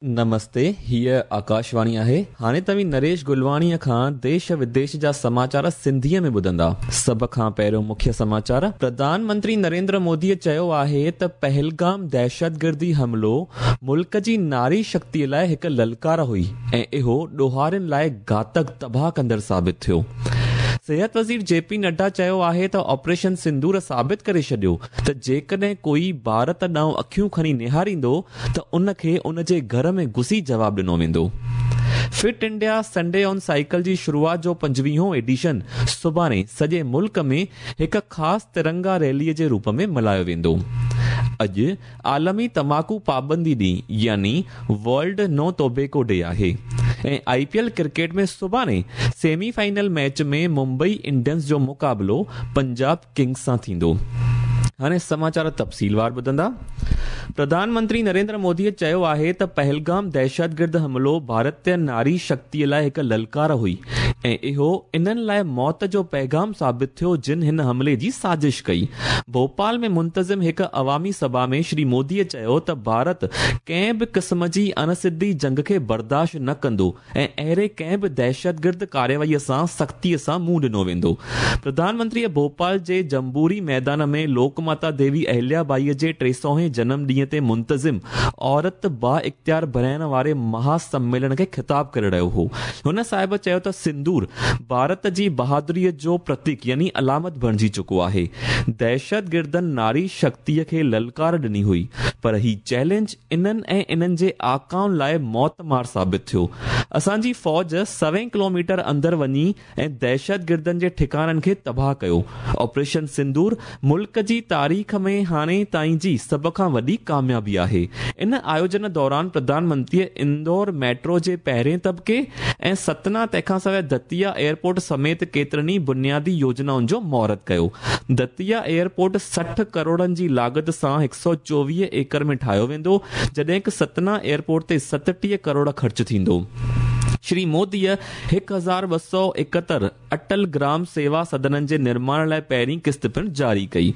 نمستي، هيء آڪاشواڻي آهي. هاڻي توهين نريش گلواڻيء کان ديش وديش جا سماچار سنڌيء ۾ ٻڌندا. سڀ کان پهريون مکيه سماچار. پرڌان منتري نريندر موديء چيو آهي ته پهلگام دهشتگردي حملو ملڪ جي ناري شڪتيء لاء هڪ للڪار هئي ۽ اهو ڏوهارين لاء گهاتڪ تباهه ڪندڙ ثابت ٿيو. صحت وزير جي پي نڊا چيو آهي ته آپريشن سندور ثابت ڪري ڇڏيو ته جيڪڏهن ڪوئي ڀارت ڏانهن اکيون کڻي نهاريندو ته ان کي ان جي گهر ۾ گهسي جواب ڏنو ويندو. Fit India Sunday on cycle جي شروعات جو پنجويهون ايڊيشن سڀاڻي سڄي ملڪ ۾ هڪ خاص ترنگا ريلي جي روپ ۾ ملهايو ويندو. اڄ عالمي تماڪو پابندي ڏينهن يعني ورلڊ نو ٽوبيڪو ڊي آهي ۽ آء پي ايل ڪرڪيٽ ۾ سڀاڻي semi final match ۾ Mumbai Indians جو مقابلو پنجاب ڪنگز سان ٿيندو. هاڻي سماچار تفصيلوار ٻڌندا. پرڌان منتري نريندر موديء چيو آهي ته پهلگام دهشتگرد حملو ڀارتي ناري شڪتيء لاء هڪ للڪار هئي ۽ اهو انهن لاء موت جو پيغام ثابت ٿيو جن هن حملي جي سازش ڪئي. ڀوپال ۾ منتظم هڪ عوامي سڀا ۾ شري موديء چيو ته ڀارت ڪنهن به قسم جي اڻ سڌي جنگ کي برداشت نه ڪندو ۽ اهڙي ڪنهن به دهشتگرد ڪارروائيء سان سختيء سان منهن ڏنو ويندو. پرڌان منتريء ڀوپال جي جمبوري ميدان ۾ لوڪ ماتا ديوي اهليا ٻائيء جي ٽي سؤ هين جنم ڏينهن تي منتظم عورت بااختيار بڻائڻ واري مها سميلن کي خطاب ڪري رهيو هو. هن صاحب چيو ته سندور ڀارت جي بهادريء جو پرتيڪ يعني علامت بڻجي چڪو آهي. دهشتگردن ناري شڪتيء کي للڪار ڏني هئي پر هي چئلينج انهن ۽ انهن جي آقائن لاء موت مار ثابت ٿيو. اسان جي فوج سوين ڪلوميٽر اندر وڃي ۽ دهشتگردن جي ٺڪاڻن کي تباهه ڪيو. آپريشن سندور ملڪ جي تاريخ ۾ هاڻي تائين جي سڀ کان وڏي ڪاميابي آهي. ان آيوجن دوران پرڌان منتريء اندور ميٽرو جي پهرين طبقي ۽ ستنا تنهن کان سواء دتيا ايئرپورٽ سميت ڪيترن ئي بنيادي يوجنائن جو مهورت ڪيو. دتيا ايئرپورٽ 60 ڪروڙن جي لاڳت سان 124 ايڪڙ ۾ ٺاهيو ويندو، جڏهن ڪه ستنا ايئرپورٽ تي 37 ڪروڙ خرچ ٿيندو. شري موديء 1271 اٽل گرام سيوا سدنن جي نرماڻ لاء پهرين قسط پڻ جاري ڪئي.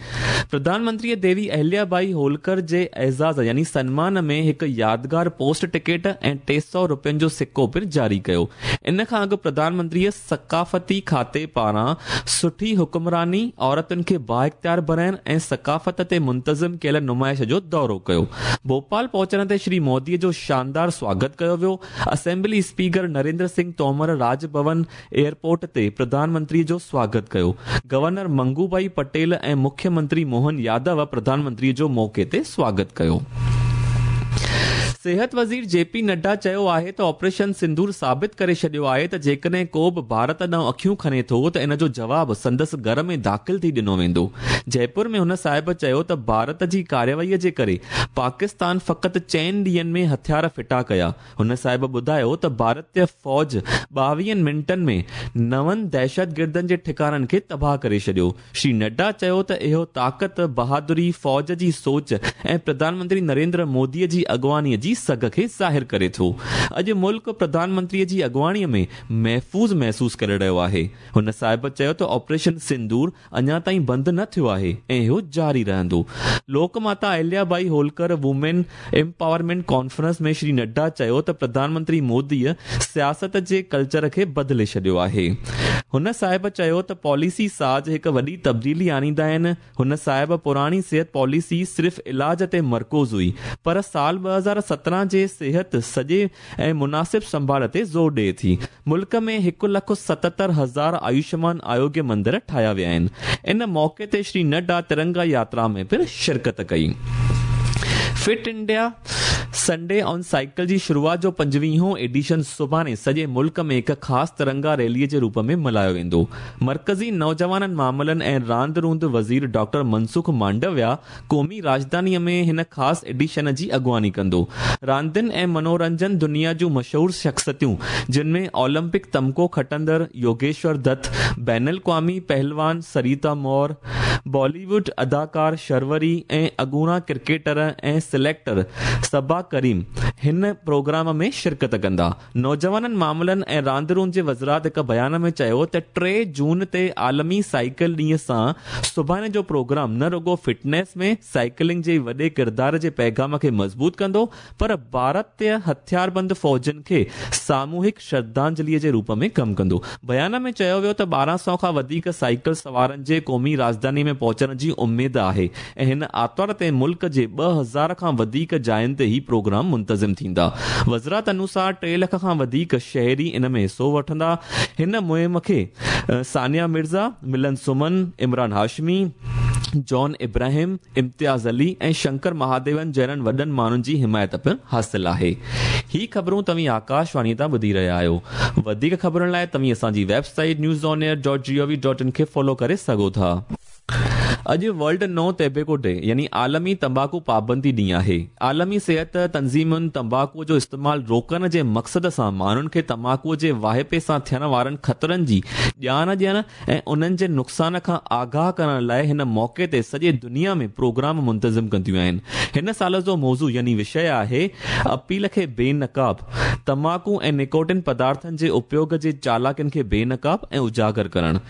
پرڌان منتريء ديوي اهليا ٻائي هولڪر جي اعزاز يعني سنمان ۾ هڪ يادگار پوسٽ ٽڪيٽ ۽ 300 رپين جو سڪو پڻ جاري ڪيو. ان کان اڳ پرڌان منتريء ثقافتي کاتي پاران سٺي حڪمراني، عورتن کي بااختيار بڻائڻ ۽ ثقافت تي منتظم ڪيل نمائش جو دورو ڪيو. ڀوپال پهچڻ تي شري موديء جو شاندار سواگت ڪيو ويو. Assembly speaker Narendra Singh Tomar Raj Bhavan airport تي پرڌان منتري جو سواگت ڪيو. گورنر منگو ڀائي پٽيل ۽ مکيه منتري موهن يادو پرڌان منتري جو موقعي تي سواگت ڪيو. صحت وزير جي پي نڊا چيو آهي ته آپريشن سندور ثابت ڪري ڇڏيو آهي ته جيڪڏهن ڪو به ڀارت ڏانهن اکيون کڻي ٿو ته ان جو جواب سندس گهر ۾ داخل ٿي ڏنو ويندو. جئپور ۾ هن صاحب چيو ته ڀارت جي ڪارروائي جي ڪري پاڪستان فقط چئن ڏينهن ۾ هٿيار ڦٽا ڪيا. هن صاحب ٻڌايو ته ڀارتي فوج ٻاويهن منٽن ۾ نون دهشتگردن جي ٺڪاڻن کي تباهه ڪري ڇڏيو. شري نڊا چيو ته اهو طاقت، بهادري، فوج جي سوچ ۽ پرڌان منتري نريندر مودي جي اڳواڻي جي سگهه کي ظاهر ڪري ٿو. اڄ ملڪ پرڌان منتري جي اڳواڻي ۾ محفوظ محسوس ڪري رهيو آهي. هن صاحب چيو ته آپريشن سندور اڃا تائين بند نه ٿيو آهي ۽ اهو جاري رهندو. Lok Mata Ahilya Bai Holkar women empowerment conference ۾ Shri Nadda چيو ته پرڌان منتري موديء سياست جي ڪلچر کي بدلي ڇڏيو آهي. هن صاحب چيو ته پاليسي ساز هڪ وڏي تبديلي آڻيندا آهن. هن صاحب پراڻي صحت پاليسي صرف علاج تي مرڪوز هئي پر سال 2017 جي صحت سڄي ۽ مناسب سنڀال تي زور ڏئي ٿي. ملڪ ۾ هڪ لک 77 هزار آيوشمان آروگيه مندر ٺاهيا ويا آهن. ان موقعي تي شري نڊا ترنگا ياترا ۾ پڻ شرڪت ڪئي. Fit India Sunday on cycle جي شروعات جو پنجويهون ايڊيشن سڀاڻي سڄي ملڪ ۾ هڪ خاص ترنگا ريلي جي روپ ۾ ملهايو ويندو. مرڪزي نوجوانن معاملن ۽ راند روند وزير ڊاڪٽر منسخ مانڊويا قومي راڄڌانيء ۾ هن خاص ايڊيشن جي اڳواڻي ڪندو. راندين ۽ منورنجن دنيا جون مشهور شخصيتون جن ۾ اولمپڪ تمغو کٽندڙ يوگيشور دت، بين الاقوامي پهلوان سريتا مور، بالي ووڊ اداڪار شروري ۽ اڳوڻا ڪرڪيٽر ۽ سليڪٽر صبا ڪريم هن پروگرام ۾ شرڪت ڪندا. نوجوانن معاملن ۽ راند روند جي وزارت هڪ بيان ۾ چيو ته 3 جون تي عالمي سائيڪل ڏينهن سان سڀاڻي جو پروگرام نه رڳو فٽنيس ۾ سائيڪلنگ جي وڏي ڪردار جي پيغام کي مضبوط ڪندو پر ڀارتي هٿياربند فوجن کي ساموهڪ شرڌانجلي جي روپ ۾ ڪم ڪندو. بيان ۾ چيو ويو ته 1200 کان وڌيڪ سائيڪل سوارن جي قومي راڄڌاني ۾ پهچڻ جي اميد آهي ۽ هن آتوار تي ملڪ جي 2000 کان وڌيڪ جاين تي هي پروگرام منتظم ٿيندا. وزارت انوسار 3 لک کان وڌيڪ شهري ان ۾ حصو وٺندا. هن مهم کي ثانيه مرزا، ملند سمن، عمران هاشمي، جان ابراهيم، امتياز علي ۽ شنڪر مهاديون جهڙن وڏن ماڻهن جي حمايت پڻ حاصل آهي. هي خبرون توهين آڪاشواڻي تان ٻڌي رهيا آهيو. وڌيڪ خبرن لاء توهين اسان جي website news on air dot G O V dot in کي فالو ڪري سگهو ٿا. اڄ ورلڊ نو ٽوبيڪو ڊي يعني عالمي تمباڪو پابندي ڏينهن آهي. عالمي صحت تنظيمن تمباڪو جو استعمال روڪڻ جي مقصد سان ماڻهن کي تماڪو جي واهپي سان ٿيڻ وارن خطرن جي ڄاڻ ڏيڻ ۽ انهن جي نقصان کان آگاهه ڪرڻ لاء هن موقعي تي سڄي دنيا ۾ پروگرام منتظم ڪنديون آهن. هن سال جو موضوع يعني وشيه آهي اپيل کي بي نقاب، تماڪو ۽ نڪوٽين پدارٿن جي اپيوگ جي چالاڪين کي بي نقاب ۽ اجاگر ڪرڻ.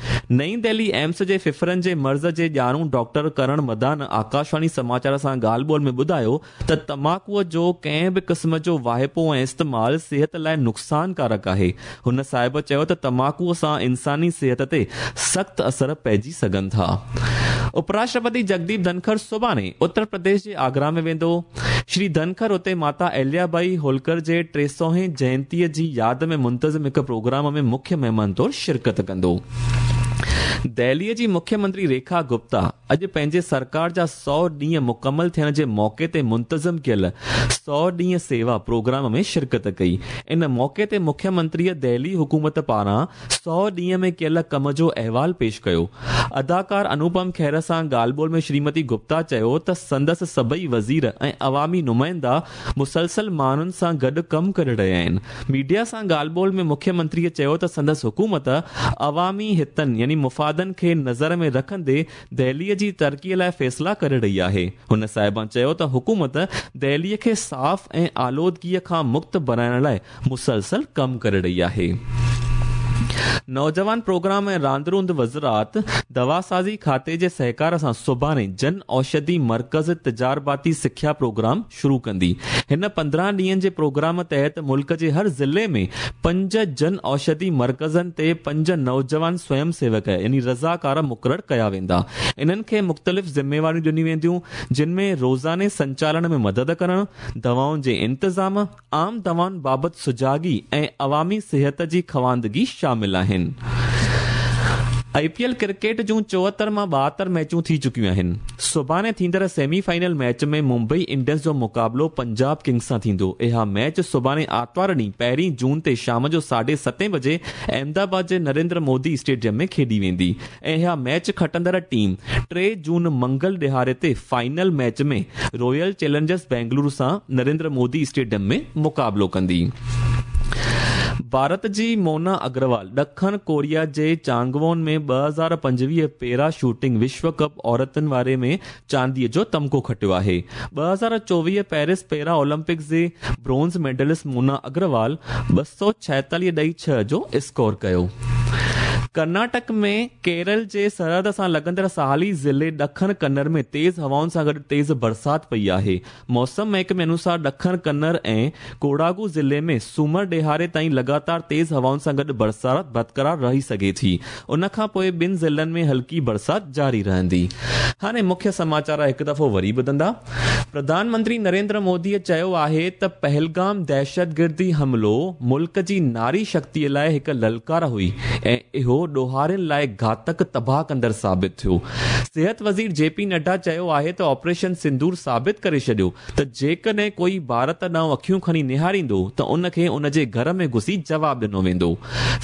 نئين دهلي ايمس جي ڦڦڙن جي مرض جي ڄاڻو ڊاڪٽر ڪرڻ مدان آڪاشواڻي سماچار سان ڳالهه ٻولهه ۾ ٻڌايو ته تماڪوء جو ڪنهن به قسم جو واهپو ۽ استعمال صحت لاء نقصانڪارڪ آهي. هن صاحب چيو ته تماڪوء سان انساني صحت تي سخت اثر پئجي سگهن ٿا. اپراشٽرپتي جگديپ ڌنکر سڀاڻي اتر پرديش جي آگرا ۾ ويندو. شري ڌنکر اتي ماتا اهليا ٻائي هولڪر جي 300 هين جينتيء جي ياد ۾ منتظم هڪ پروگرام ۾ مکيه مهمان طور شرڪت ڪندو. دهليء جي مکيه منتري ريکا گپتا اڄ پنهنجي سرڪار جا 100 ڏينهن مڪمل ٿيڻ جي موقعي تي منتظم ڪيل 100 ڏينهن سيوا پروگرام ۾ شرڪت ڪئي. ان موقعي تي مکيه منتريء دهلي حڪومت پاران 100 ڏينهن ۾ ڪيل ڪم جو احوال پيش ڪيو. اداڪار انوپم کير سان ڳالهه ٻولهه ۾ شريمتي گپتا چيو ته سندس سڀئي وزير ۽ عوامي نمائندا مسلسل ماڻهن سان گڏ ڪم ڪري رهيا آهن. ميڊيا سان ڳالهه ٻولهه ۾ مکيه منتريء چيو ته سندس حڪومت عوامي هتن يعني مفادن کي نظر ۾ رکندي دهليء جي ترقيء لاء فيصلا ڪري رهي آهي. هن صاحبان چيو ته حڪومت دهليء کي صاف ۽ آلودگيء کان مڪت بڻائڻ لاء مسلسل ڪم ڪري رهي آهي. نوجوان پروگرام ۽ راند روند وزارت دواسازي کاتي جي سهڪار سان سڀاڻي جن اوشڌي مرڪز تجارباتي سکيا پروگرام شروع ڪندي. هن 15 ڏينهن جي پروگرام تحت ملڪ جي هر ضلعي ۾ 5 جن اوشڌي مرڪزن تي 5 نوجوان سويم سيوڪ يعني رضاڪار مقرر ڪيا ويندا. انهن کي مختلف ذميواريون ڏنيون وينديون، جن ۾ روزاني سنچالن ۾ مدد ڪرڻ، دوائن جي انتظام، عام دوائن بابت سجاڳي ۽ عوامي صحت جي خواندگي شامل آهن. آء پي ايل ڪرڪيٽ جون 74 مان 72 ميچون ٿي چڪيون آهن. سڀاڻي ٿيندڙ semi final match ۾ Mumbai Indians جو مقابلو پنجاب ڪنگز سان ٿيندو. اها ميچ سڀاڻي آتوار ڏينهن پهرين جون تي شام جو 7:30 بجي احمدآباد جي نريندر مودي اسٽيڊيم ۾ کيڏي ويندي ۽ اها ميچ کٽندڙ ٽيم 3 جون منگل ڏهاڙي تي final match ۾ Royal Challengers Bengaluru سان نريندر مودي اسٽيڊيم ۾ مقابلو ڪندي. ڀارت جي مونا اگروال ڏکڻ ڪوريا جي چانگوون ۾ 2025 پيرا شوٽنگ وشو ڪپ عورتن واري ۾ چانديء جو تمغو کٽيو آهي. 2024 پيرس پيرا اولمپڪس جي برونز ميڊلسٽ مونا اگروال 246.6 جو اسڪور ڪيو. ڪرناٽڪ ۾ ڪيرل جي سرحد سان لڳندڙ ساحلي ضلعي ڏکڻ ڪنر ۾ تيز هوائن سان گڏ تيز برسات پئي آهي. موسم محڪمي انوسار ڏکڻ ڪنر ۽ ڪوڙاگو ضلعي ۾ سومر ڏهاڙي تائين لڳاتار تيز هوائن سان گڏ برسات برقرار رهي سگهي ٿي. ان کان پوء ٻن ضلعن ۾ هلڪي برسات جاري رهندي. هاڻي مکيه سماچار هڪ دفعو وري ٻڌندا. پرڌان منتري نريندر مودي چيو آهي ته پهلگام دهشتگردي حملو ملڪ جي ناري شڪتي لاء هڪ للڪار هئي ۽ اهو ڏوهارين لاء گهاتڪ تباهه ڪندڙ ثابت ٿيو. صحت وزير جي پي نڊا چيو آهي ته آپريشن سندور ثابت ڪري ڇڏيو ته جيڪڏهن ڪوئي ڀارت ڏانهن اکيون کڻي نهاريندو ته ان کي ان جي گهر ۾ گهسي جواب ڏنو ويندو.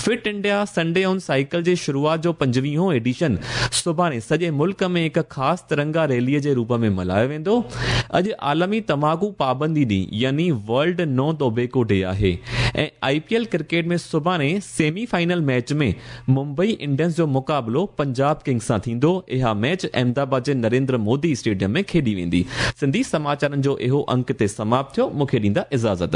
Fit India Sunday on cycle جي شروعات جو 25هون ايڊيشن سڀاڻي سڄي ملڪ ۾ هڪ خاص ترنگا ريلي جي روپ ۾ ملهايو ويندو. اڄ عالمي تماڪو پابندي ڏينهن يعني ورلڊ نو ٽوبيڪو ڊي آهي ۽ آء پي ايل ڪرڪيٽ ۾ سڀاڻي semi final match ۾ Mumbai Indians جو مقابلو پنجاب ڪنگز سان ٿيندو. اها ميچ احمدآباد جي نريندر مودي اسٽيڊيم ۾ کيڏي ويندي. سنڌي سماچارن جو اهو انڪ هتي سماپت ٿيو. مون کي ڏيندا اجازت.